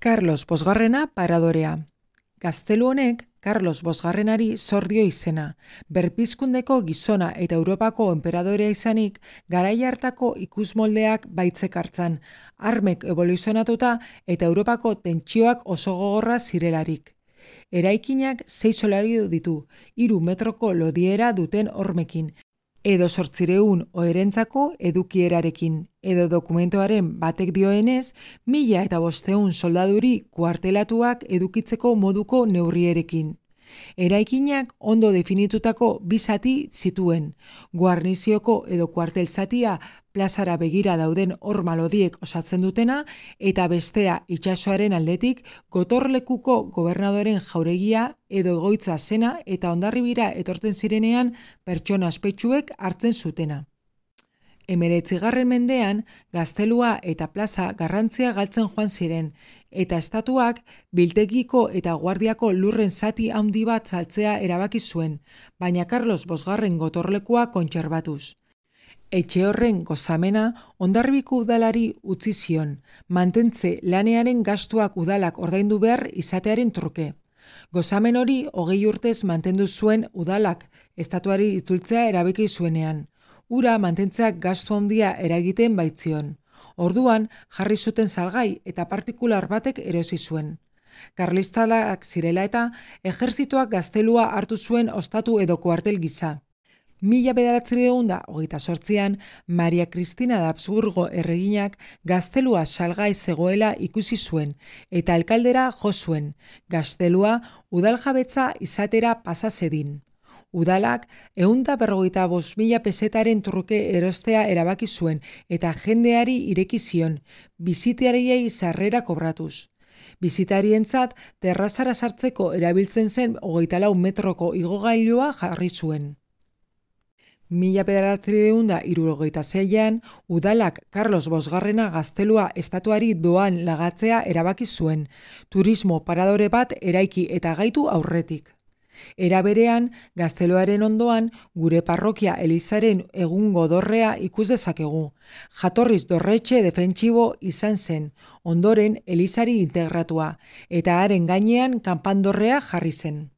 Carlos Bosgarrena paradorea. Gaztelu honek Carlos Bosgarrenari zor dio izena. Berpizkundeko gizona eta Europako enperadorea izanik, garai hartako ikusmoldeak baitzek hartzan, armek evoluzionatuta eta Europako tentsioak oso gogorra zirelarik. Eraikinak 6 solairu ditu, 3 metroko lodiera duten hormekin, edo 800 oherentzako edukierarekin, edo dokumentoaren batek dioenez, 1500 soldaduri kuartelatuak edukitzeko moduko neurrierekin. Eraikinak ondo definitutako 2 zati zituen, guarnizioko edo kuartel zatia plazara begira dauden horma lodiek osatzen dutena, eta bestea itsasoaren aldetik gotorlekuko gobernadoren jauregia edo egoitza zena eta Hondarribira etortzen zirenean pertsona ospetsuek hartzen zutena. 19. mendean, gaztelua eta plaza garrantzia galtzen joan ziren, eta estatuak biltegiko eta guardiako lurren zati handi bat saltzea erabaki zuen, baina Carlos Bosgarren gotorlekua kontserbatuz. Etxe horren gozamena Hondarribiko udalari utzi zion, mantentze lanearen gastuak udalak ordaindu behar izatearen truke. Gozamen hori 20 urtez mantendu zuen udalak estatuari itzultzea erabaki zuenean. Ura mantentzeak gastu handia eragiten baitzion. Orduan jarri zuten salgai eta partikular batek erosi zuen. Karlistak zirela eta ejerzitoak gaztelua hartu zuen ostatu edo kuartel gisa. 1928an Maria Cristina de Habsburgo erreginak gaztelua salgai zegoela ikusi zuen eta alkaldera jo zuen, gaztelua udaljabetza izatera pasa zedin. Udalak 155.000 pesetaren truke erostea erabaki zuen eta jendeari ireki zion, bisitariei sarrera kobratuz. Bisitarientzat terrazara sartzeko erabiltzen zen 24 metroko igogailua jarri zuen. 1976an udalak Carlos Bosgarrena gaztelua estatuari doan lagatzea erabaki zuen, turismo paradore bat eraiki eta gaitu aurretik. Era berean, gazteluaren ondoan gure parrokia elizaren egungo dorrea ikus dezakegu. Jatorriz dorretxe defentsibo izan zen, ondoren elizari integratua, eta haren gainean kanpandorrea jarri zen.